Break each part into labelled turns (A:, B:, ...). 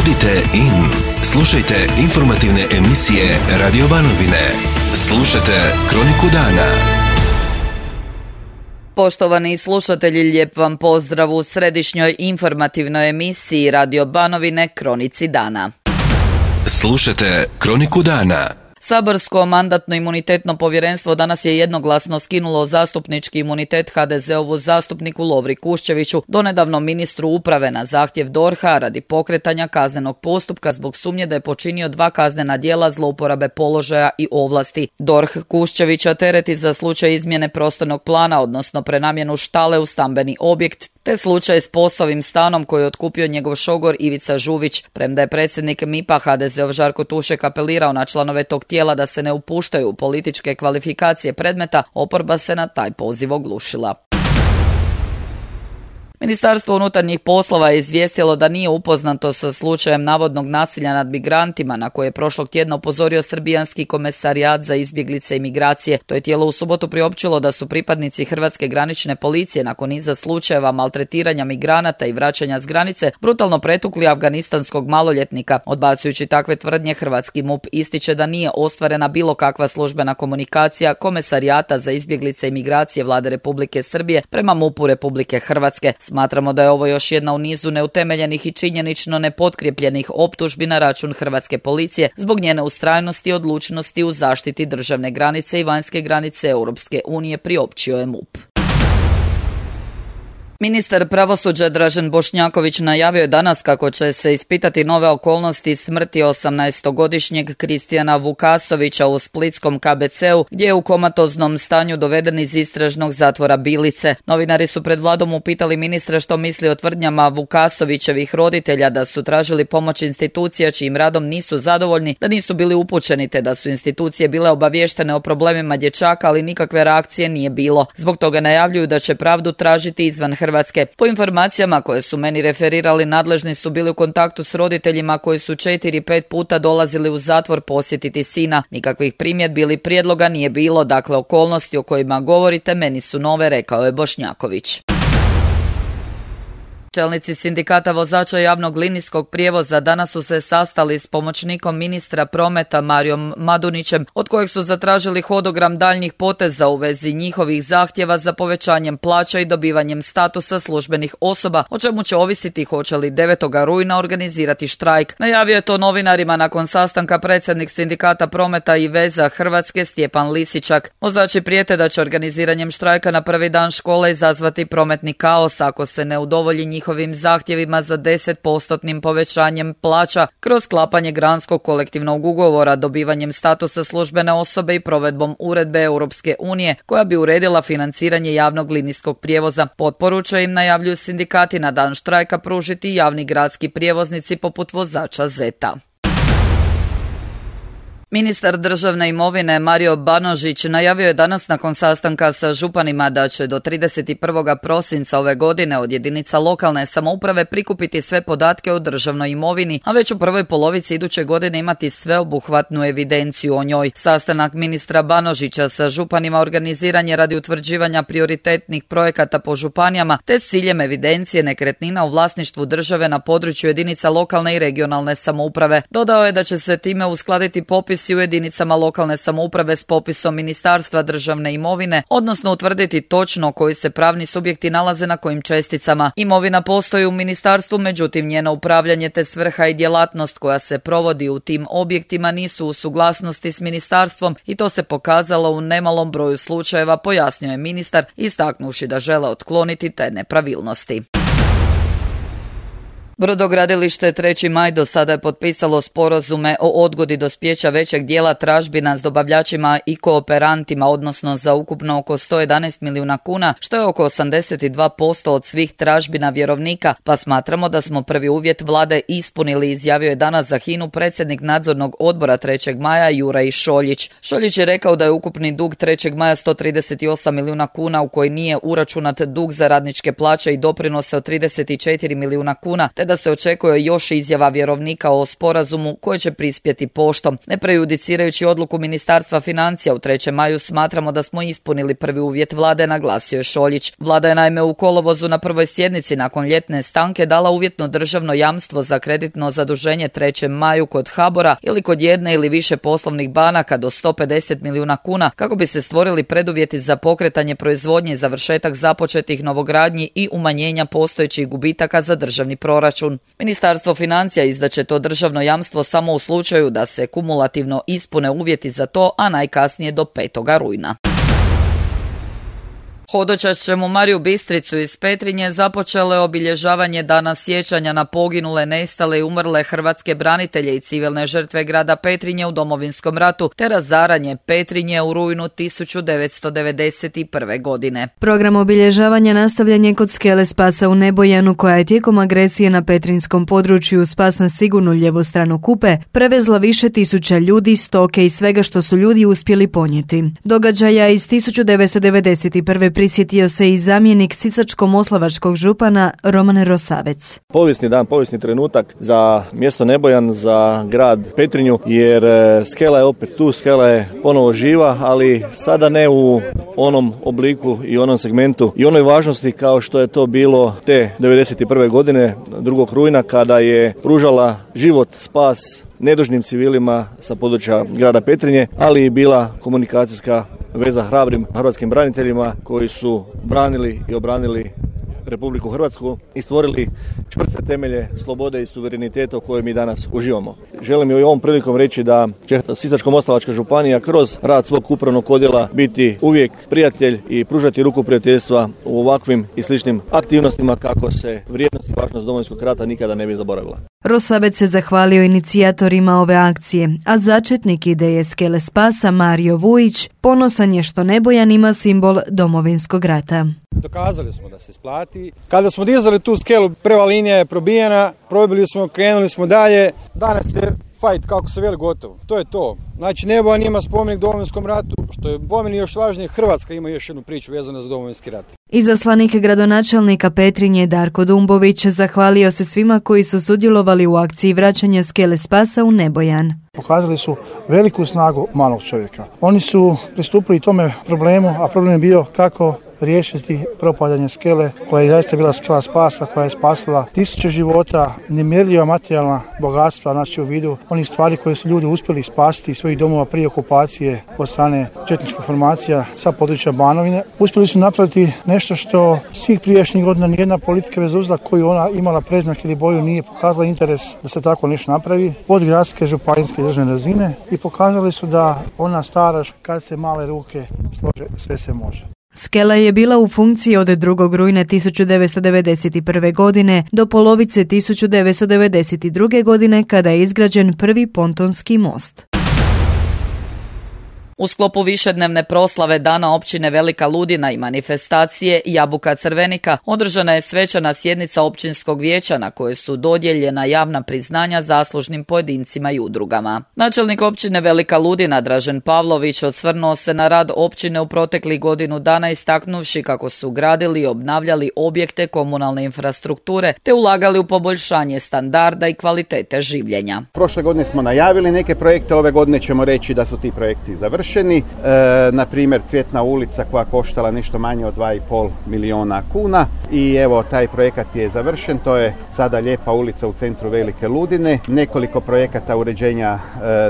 A: Budite in. Slušajte informativne emisije Radio Banovine. Slušajte Kroniku dana.
B: Poštovani slušatelji, lijep vam pozdrav u središnjoj informativnoj emisiji Radio Banovine Kronici dana.
A: Slušajte Kroniku dana.
B: Saborsko mandatno-imunitetno povjerenstvo danas je jednoglasno skinulo zastupnički imunitet HDZ-ovu zastupniku Lovri Kuščeviću, donedavno ministru uprave, na zahtjev DORH-a radi pokretanja kaznenog postupka zbog sumnje da je počinio 2 kaznena djela zlouporabe položaja i ovlasti. DORH Kuščevića tereti za slučaj izmjene prostornog plana, odnosno prenamjenu štale u stambeni objekt, te slučaj s POS-ovim stanom koji je otkupio njegov šogor Ivica Žuvić. Premda je predsjednik MIP-a HDZ-ov Žarko Tušek apelirao na članove tog tijela da se ne upuštaju u političke kvalifikacije predmeta, oporba se na taj poziv oglušila. Ministarstvo unutarnjih poslova je izvijestilo da nije upoznato sa slučajem navodnog nasilja nad migrantima na koje je prošlog tjedna upozorio Srbijanski komesarijat za izbjeglice i migracije. To je tijelo u subotu priopćilo da su pripadnici Hrvatske granične policije nakon niza slučajeva maltretiranja migranata i vraćanja s granice brutalno pretukli afganistanskog maloljetnika. Odbacujući takve tvrdnje, hrvatski MUP ističe da nije ostvarena bilo kakva službena komunikacija Komesarijata za izbjeglice i migracije Vlade Republike Srbije prema MUP-u Republike Hrvatske. Smatramo da je ovo još jedna u nizu neutemeljenih i činjenično nepotkrijepljenih optužbi na račun hrvatske policije zbog njene ustrajnosti i odlučnosti u zaštiti državne granice i vanjske granice Europske unije, priopćio je MUP. Ministar pravosuđa Dražen Bošnjaković najavio je danas kako će se ispitati nove okolnosti smrti 18-godišnjeg Kristijana Vukasovića u splitskom KBC-u, gdje je u komatoznom stanju doveden iz istražnog zatvora Bilice. Novinari su pred Vladom upitali ministra što misli o tvrdnjama Vukasovićevih roditelja da su tražili pomoć institucija čijim radom nisu zadovoljni, da nisu bili upućeni te da su institucije bile obavještene o problemima dječaka, ali nikakve reakcije nije bilo. Zbog toga najavljuju da će pravdu tražiti izvan Hrvatske. Po informacijama koje su meni referirali, nadležni su bili u kontaktu s roditeljima koji su 4-5 puta dolazili u zatvor posjetiti sina. Nikakvih primjedbi ili prijedloga nije bilo, dakle okolnosti o kojima govorite meni su nove, rekao je Bošnjaković. Čelnici sindikata vozača javnog linijskog prijevoza danas su se sastali s pomoćnikom ministra prometa Marijom Madunićem, od kojeg su zatražili hodogram daljnjih poteza u vezi njihovih zahtjeva za povećanjem plaća i dobivanjem statusa službenih osoba, o čemu će ovisiti hoće li 9. rujna organizirati štrajk. Najavio je to novinarima nakon sastanka predsjednik sindikata prometa i veza Hrvatske Stjepan Lisičak. Vozači prijete da će organiziranjem štrajka na prvi dan škole izazvati prometni kaos ako se ne udovolji njihovim zahtjevima za 10% povećanjem plaća kroz sklapanje granskog kolektivnog ugovora, dobivanjem statusa službene osobe i provedbom uredbe Europske unije koja bi uredila financiranje javnog linijskog prijevoza. Potporu će im, najavljuju sindikati, na dan štrajka pružiti javni gradski prijevoznici poput vozača Zeta. Ministar državne imovine Mario Banožić najavio je danas nakon sastanka sa županima da će do 31. prosinca ove godine od jedinica lokalne samouprave prikupiti sve podatke o državnoj imovini, a već u prvoj polovici iduće godine imati sveobuhvatnu evidenciju o njoj. Sastanak ministra Banožića sa županima organiziran je radi utvrđivanja prioritetnih projekata po županijama te s ciljem evidencije nekretnina u vlasništvu države na području jedinica lokalne i regionalne samouprave. Dodao je da će se time uskladiti popis u jedinicama lokalne samouprave s popisom Ministarstva državne imovine, odnosno utvrditi točno koji se pravni subjekti nalaze na kojim česticama. Imovina postoji u ministarstvu, međutim njeno upravljanje te svrha i djelatnost koja se provodi u tim objektima nisu u suglasnosti s ministarstvom i to se pokazalo u nemalom broju slučajeva, pojasnio je ministar, istaknuvši da žele otkloniti te nepravilnosti. Brodogradilište 3. maj do sada je potpisalo sporazume o odgodi dospijeća većeg dijela tražbina s dobavljačima i kooperantima, odnosno za ukupno oko 111 milijuna kuna, što je oko 82% od svih tražbina vjerovnika, pa smatramo da smo prvi uvjet vlade ispunili, izjavio je danas za HINA-u predsjednik nadzornog odbora 3. maja Juraj Šoljić. Šoljić je rekao da je ukupni dug 3. maja 138 milijuna kuna u koji nije uračunat dug za radničke plaće i doprinose od 34 milijuna kuna, te te da se očekuje još izjava vjerovnika o sporazumu koje će prispjeti poštom. Ne prejudicirajući odluku Ministarstva financija u 3. maju, smatramo da smo ispunili prvi uvjet vlade, naglasio je Šoljić. Vlada je naime u kolovozu na prvoj sjednici nakon ljetne stanke dala uvjetno državno jamstvo za kreditno zaduženje 3. maju kod HBOR-a ili kod jedne ili više poslovnih banaka do 150 milijuna kuna kako bi se stvorili preduvjeti za pokretanje proizvodnje, završetak započetih novogradnji i umanjenja postojećih gubitaka za državni proračun. Ministarstvo financija izdaće to državno jamstvo samo u slučaju da se kumulativno ispune uvjeti za to, a najkasnije do 5. rujna. Hodočašćem u Mariju Bistricu iz Petrinje započelo je obilježavanje Dana sjećanja na poginule, nestale i umrle hrvatske branitelje i civilne žrtve grada Petrinje u Domovinskom ratu te razaranje Petrinje u rujnu 1991. godine.
C: Program obilježavanja nastavljen je kod skele Spasa u Nebojanu, koja je tijekom agresije na petrinjskom području Spas na sigurnu lijevu stranu Kupe prevezla više tisuća ljudi, stoke i svega što su ljudi uspjeli ponijeti. Događaja iz 1991. prisjetio se i zamjenik sisačko-moslavačkog župana Roman Rosavec.
D: Povijesni dan, povijesni trenutak za mjesto Nebojan, za grad Petrinju, jer skela je opet tu, skela je ponovo živa, ali sada ne u onom obliku i onom segmentu i onoj važnosti kao što je to bilo te 1991. godine, 2. rujna, kada je pružala život, spas nedužnim civilima sa područja grada Petrinje, ali i bila komunikacijska veza hrabrim hrvatskim braniteljima koji su branili i obranili Republiku Hrvatsku i stvorili čvrste temelje slobode i suvereniteta u kojoj mi danas uživamo. Želim i ovom prilikom reći da će Sisačko-moslavačka županija kroz rad svog upravnog odjela biti uvijek prijatelj i pružati ruku prijateljstva u ovakvim i sličnim aktivnostima kako se vrijednost i važnost Domovinskog rata nikada ne bi zaboravila.
C: Rosavec se zahvalio inicijatorima ove akcije, a začetnik ideje skele Spasa Mario Vujić ponosan je što Nebojan ima simbol Domovinskog rata.
E: Dokazali smo da se isplati. Kada smo dizali tu skelu, prva linija je probijena, probili smo, krenuli smo dalje. Danas je fight, kako se veli, gotovo. To je to. Znači, Nebojan ima spomenik Domovinskom ratu, što je po meni još važnije, Hrvatska ima još jednu priču vezanu za Domovinski rat.
C: Izaslanik gradonačelnika Petrinje Darko Dumbović zahvalio se svima koji su sudjelovali u akciji vraćanja skele Spasa u Nebojan.
F: Pokazali su veliku snagu malog čovjeka. Oni su pristupili tome problemu, a problem je bio kako riješiti propadanje skele, koja je zaista bila skela spasa, koja je spasila tisuće života, nemjerljiva materijalna bogatstva, znači u vidu onih stvari koje su ljudi uspjeli spasiti iz svojih domova prije okupacije od strane četničkih formacija sa područja Banovine. Uspjeli su napraviti nešto što svih prijašnjih godina nijedna politika bez obzira koju ona imala predznak ili boju nije pokazala interes da se tako nešto napravi od gradske, županijske i državne razine i pokazali su da ona stara kad se male ruke slože, sve se može.
C: Skela je bila u funkciji od 2. rujna 1991. godine do polovice 1992. godine kada je izgrađen prvi pontonski most.
B: U sklopu višednevne proslave Dana općine Velika Ludina i manifestacije Jabuka Crvenika održana je svečana sjednica općinskog vijeća na kojoj su dodijeljena javna priznanja zaslužnim pojedincima i udrugama. Načelnik općine Velika Ludina Dražen Pavlović osvrnuo se na rad općine u proteklih godinu dana istaknuvši kako su gradili i obnavljali objekte komunalne infrastrukture te ulagali u poboljšanje standarda i kvalitete življenja.
G: Prošle godine smo najavili neke projekte, ove godine ćemo reći da su ti projekti završeni. Na primjer, Cvjetna ulica koja koštala nešto manje od 2,5 milijuna kuna i evo taj projekat je završen, to je sada lijepa ulica u centru Velike Ludine, nekoliko projekata uređenja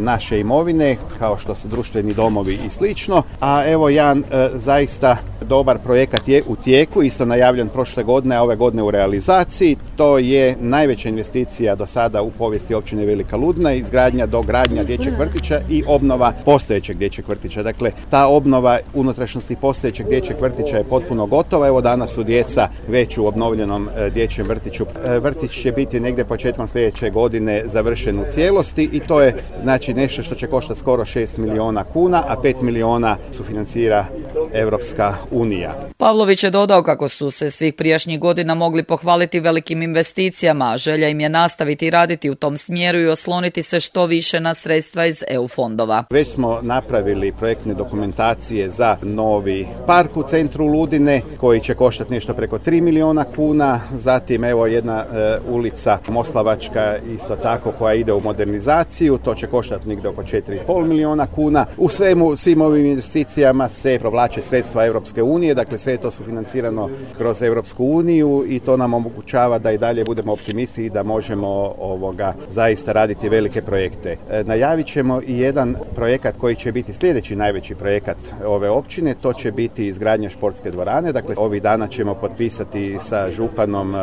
G: naše imovine kao što su društveni domovi i slično, a evo jedan zaista dobar projekat je u tijeku, isto najavljen prošle godine, a ove godine u realizaciji, to je najveća investicija do sada u povijesti općine Velika Ludina, izgradnja, dogradnja dječjeg vrtića i obnova postojećeg dječjeg vrtića. Dakle, ta obnova unutrašnjosti postojećeg dječjeg vrtića je potpuno gotova. Evo danas su djeca već u obnovljenom dječjem vrtiću. Vrtić će biti negdje početkom sljedeće godine završen u cijelosti i to je znači nešto što će koštati skoro 6 milijuna kuna, a 5 milijuna sufinancira Europska unija.
B: Pavlović je dodao kako su se svih prijašnjih godina mogli pohvaliti velikim investicijama, a želja im je nastaviti raditi u tom smjeru i osloniti se što više na sredstva iz EU fondova.
G: Već smo napravili napravili projektne dokumentacije za novi park u centru Ludine koji će koštati nešto preko 3 milijuna kuna. Zatim evo jedna ulica Moslavačka isto tako koja ide u modernizaciju, to će koštati negdje oko 4,5 milijuna kuna. U svim ovim investicijama se provlače sredstva Europske unije, dakle sve to su financirano kroz Europsku uniju i to nam omogućava da i dalje budemo optimisti i da možemo zaista raditi velike projekte. Najavit ćemo i jedan projekat koji će biti sljedeći najveći projekat ove općine, to će biti izgradnja športske dvorane. Dakle, ovih dana ćemo potpisati sa županom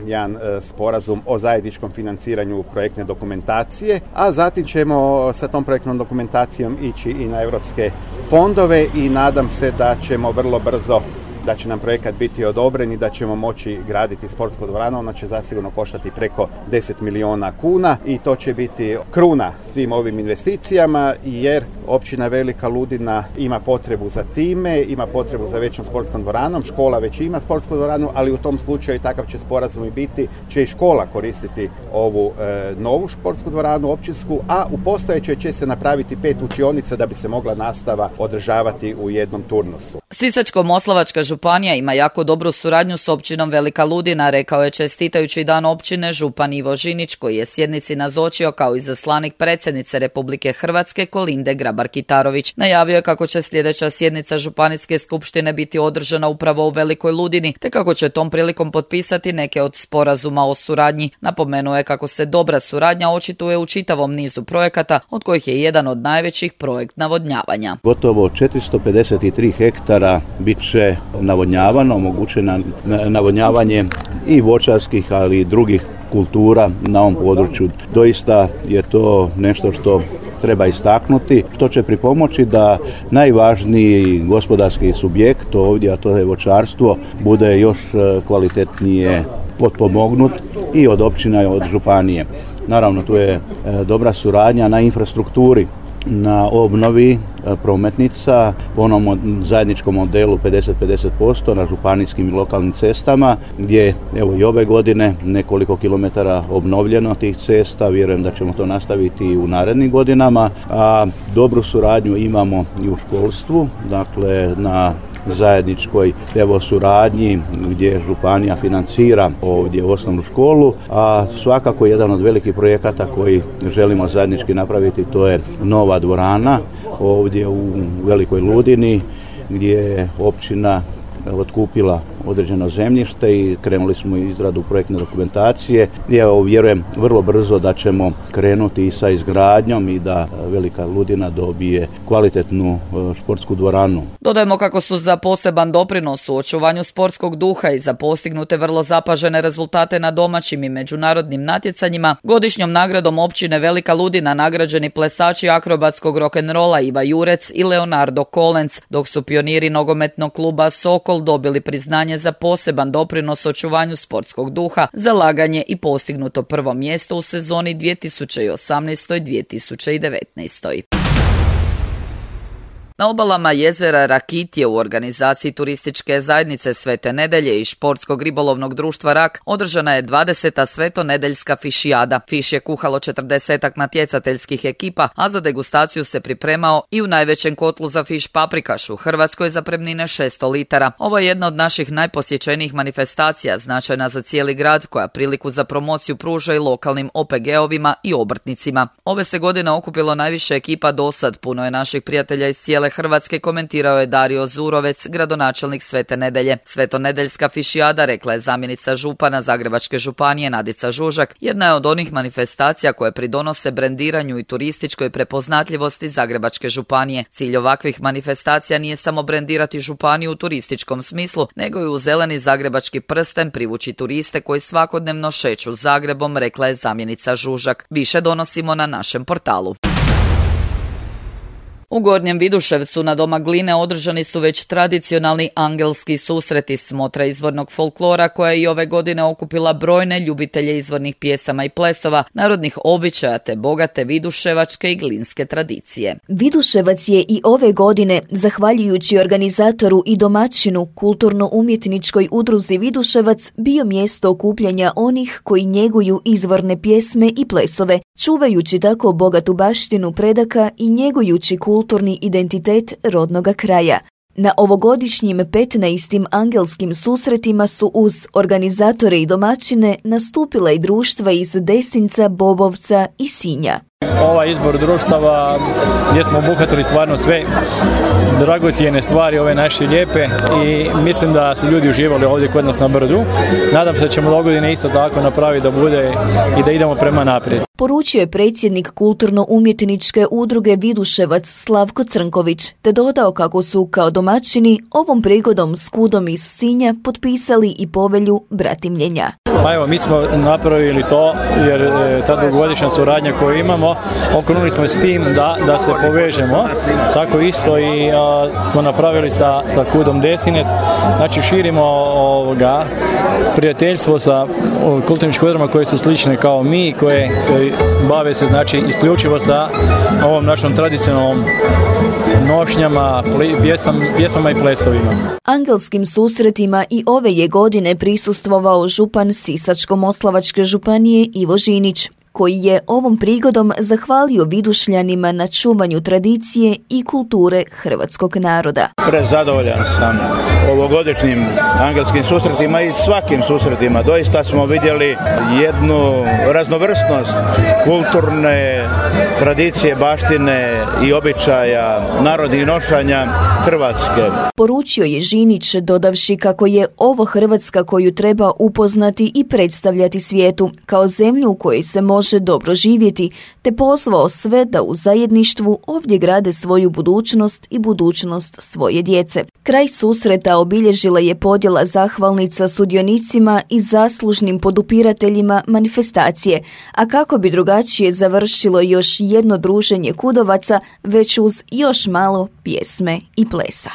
G: jedan sporazum o zajedničkom financiranju projektne dokumentacije, a zatim ćemo sa tom projektnom dokumentacijom ići i na europske fondove i nadam se da ćemo vrlo brzo da će nam projekat biti odobren i da ćemo moći graditi sportsku dvoranu. Ona će zasigurno koštati preko 10 milijuna kuna i to će biti kruna svim ovim investicijama jer općina Velika Ludina ima potrebu za time, ima potrebu za većom sportskom dvoranom, škola već ima sportsku dvoranu, ali u tom slučaju takav će sporazum i biti, će i škola koristiti ovu novu sportsku dvoranu općinsku, a u postojećoj će se napraviti 5 učionica da bi se mogla nastava održavati u jednom turnusu.
B: Sisačko-moslavačka županija ima jako dobru suradnju s općinom Velika Ludina, rekao je čestitajući dan općine župan Ivo Žinić, koji je sjednici nazočio kao izaslanik predsjednice Republike Hrvatske Kolinde Grabar-Kitarović. Najavio je kako će sljedeća sjednica županijske skupštine biti održana upravo u Velikoj Ludini, te kako će tom prilikom potpisati neke od sporazuma o suradnji. Napomenuo je kako se dobra suradnja očituje u čitavom nizu projekata, od kojih je jedan od najvećih projekt navodnjavanja.
H: Gotovo 453 hektara bit će navodnjavano, omogućeno navodnjavanje i voćarskih, ali i drugih kultura na ovom području. Doista je to nešto što treba istaknuti, što će pripomoći da najvažniji gospodarski subjekt ovdje, a to je voćarstvo, bude još kvalitetnije potpomognut i od općina i od županije. Naravno, tu je dobra suradnja na infrastrukturi, na obnovi prometnica, po onom zajedničkom modelu 50-50% na županijskim i lokalnim cestama, gdje evo i ove godine nekoliko kilometara obnovljeno tih cesta, vjerujem da ćemo to nastaviti i u narednim godinama, a dobru suradnju imamo i u školstvu, dakle na zajedničkoj evo suradnji gdje županija financira ovdje osnovnu školu, a svakako jedan od velikih projekata koji želimo zajednički napraviti, to je nova dvorana ovdje u Velikoj Ludini gdje je općina otkupila određeno zemljište i krenuli smo izradu projektne dokumentacije. I evo, vjerujem vrlo brzo da ćemo krenuti i sa izgradnjom i da Velika Ludina dobije kvalitetnu športsku dvoranu.
B: Dodajemo kako su za poseban doprinos u očuvanju sportskog duha i za postignute vrlo zapažene rezultate na domaćim i međunarodnim natjecanjima godišnjom nagradom općine Velika Ludina nagrađeni plesači akrobatskog rock'n'rolla Iva Jurec i Leonardo Kolenc, dok su pioniri nogometnog kluba Sokol dobili priznanje za poseban doprinos očuvanju sportskog duha, zalaganje i postignuto prvo mjesto u sezoni 2018-2019. Na obalama jezera Rakitje u organizaciji turističke zajednice Svete Nedelje i športskog ribolovnog društva Rak održana je 20. svetonedeljska fišijada. Fiš je kuhalo 40 natjecateljskih ekipa, a za degustaciju se pripremao i u najvećem kotlu za fiš paprikaš u Hrvatskoj zapremnine 600 litara. Ovo je jedna od naših najposjećenijih manifestacija, značajna za cijeli grad, koja priliku za promociju pruža i lokalnim OPG-ovima i obrtnicima. Ove se godine okupilo najviše ekipa dosad, puno je naših prijatelja iz cijele Hrvatske, komentirao je Dario Zurovec, gradonačelnik Svete Nedelje. Svetonedeljska fišijada, rekla je zamjenica župana Zagrebačke županije Nadica Žužak, jedna je od onih manifestacija koje pridonose brendiranju i turističkoj prepoznatljivosti Zagrebačke županije. Cilj ovakvih manifestacija nije samo brendirati županiju u turističkom smislu, nego i u zeleni zagrebački prsten privući turiste koji svakodnevno šeću Zagrebom, rekla je zamjenica Žužak. Više donosimo na našem portalu. U Gornjem Viduševcu na Doma Gline održani su već tradicionalni angelski susreti, smotra izvornog folklora koja je i ove godine okupila brojne ljubitelje izvornih pjesama i plesova, narodnih običaja te bogate viduševačke i glinske tradicije.
I: Viduševac je i ove godine, zahvaljujući organizatoru i domaćinu kulturno-umjetničkoj udruzi Viduševac, bio mjesto okupljanja onih koji njeguju izvorne pjesme i plesove. čuvajući tako bogatu baštinu predaka i njegujući kulturni identitet rodnoga kraja. Na ovogodišnjim 15. angelskim susretima su uz organizatore i domaćine nastupila i društva iz Desinca, Bobovca i Sinja.
J: Ovaj izbor društava gdje smo obuhvatili stvarno sve dragocjene stvari, ove naše lijepe, i mislim da su ljudi uživali ovdje kod nas na Brdu. Nadam se da ćemo dogodine isto tako napraviti da bude i da idemo prema naprijed.
I: Poručio je predsjednik kulturno-umjetničke udruge Viduševac Slavko Crnković, te dodao kako su kao domaćini ovom prigodom s KUD-om iz Sinja potpisali i povelju bratimljenja.
J: Pa evo, mi smo napravili to jer ta dugogodišnja suradnja koju imamo, okrenuli smo s tim da se povežemo. Tako isto i smo napravili sa KUD-om Desinec. Znači širimo prijateljstvo sa kulturnim udrugama koje su slične kao mi, koje bave se znači isključivo sa ovom našom tradicionalnom nošnjama, pjesmama i plesovima.
I: Angelskim susretima i ove je godine prisustvovao župan Sisačko-moslavačke županije Ivo Žinić, koji je ovom prigodom zahvalio Vidušljanima na čuvanju tradicije i kulture hrvatskog naroda.
H: Prezadovoljan sam ovogodišnjim angelskim susretima i svakim susretima. Doista smo vidjeli jednu raznovrsnost kulturne tradicije, baštine i običaja, narodnih nošanja Hrvatske.
I: Poručio je Žinić, dodavši kako je ovo Hrvatska koju treba upoznati i predstavljati svijetu kao zemlju u kojoj se može dobro živjeti, te pozvao sve da u zajedništvu ovdje grade svoju budućnost i budućnost svoje djece. Kraj susreta obilježila je podjela zahvalnica sudionicima i zaslužnim podupirateljima manifestacije, a kako bi drugačije završilo još jedno druženje kudovaca, već uz još malo pjesme i plesa.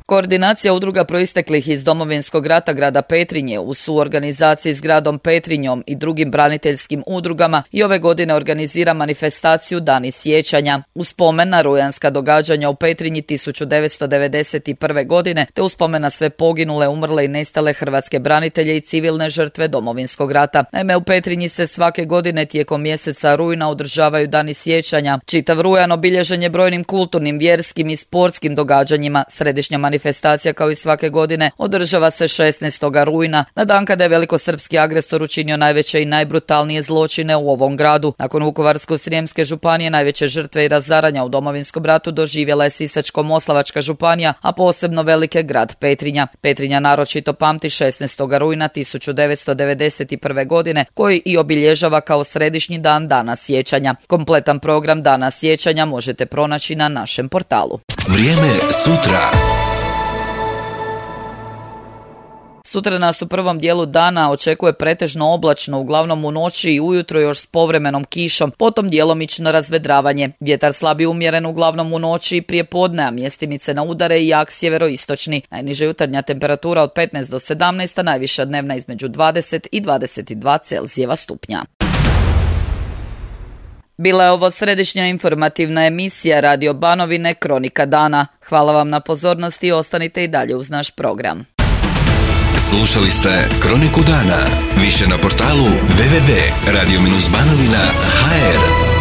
B: Koordinacija udruga proisteklih iz Domovinskog rata grada Petrinje u suorganizaciji s gradom Petrinjom i drugim braniteljskim udrugama i ove godine organizira manifestaciju Dani sjećanja u spomen na rujanska događanja u Petrinji 1991. godine te u spomen na sve poginule, umrle i nestale hrvatske branitelje i civilne žrtve Domovinskog rata. Naime, u Petrinji se svake godine tijekom mjeseca rujna održavaju Dani sjećanja. Čitav rujan obilježen je brojnim kulturnim, vjerskim i sportskim događanjima. Središnja manifestacija kao i svake godine održava se 16. rujna, na dan kada je velikosrpski agresor učinio najveće i najbrutalnije zločine u ovom gradu. Nakon Vukovarsko-srijemske županije najveće žrtve i razaranja u Domovinskom ratu doživjela je Sisačko-moslavačka županija, a posebno velike grad Petrinja. Petrinja naročito pamti 16. rujna 1991. godine, koji i obilježava kao središnji dan Dana sjećanja. Kompletan program Dana sjećanja možete pronaći na našem portalu.
A: Vrijeme sutra.
B: Sutra nas u prvom dijelu dana očekuje pretežno oblačno, uglavnom u noći i ujutro još s povremenom kišom, potom djelomično razvedravanje. Vjetar slabi umjeren uglavnom u noći i prije podne, a mjestimice na udare i jak sjeveroistočni. Najniža jutarnja temperatura od 15 do 17, a najviša dnevna između 20 i 22 Celzijeva stupnja. Bila je ovo središnja informativna emisija Radio Banovine Kronika dana. Hvala vam na pozornosti i ostanite i dalje uz naš program.
A: Slušali ste Kroniku dana. Više na portalu www.radio-banovina.hr.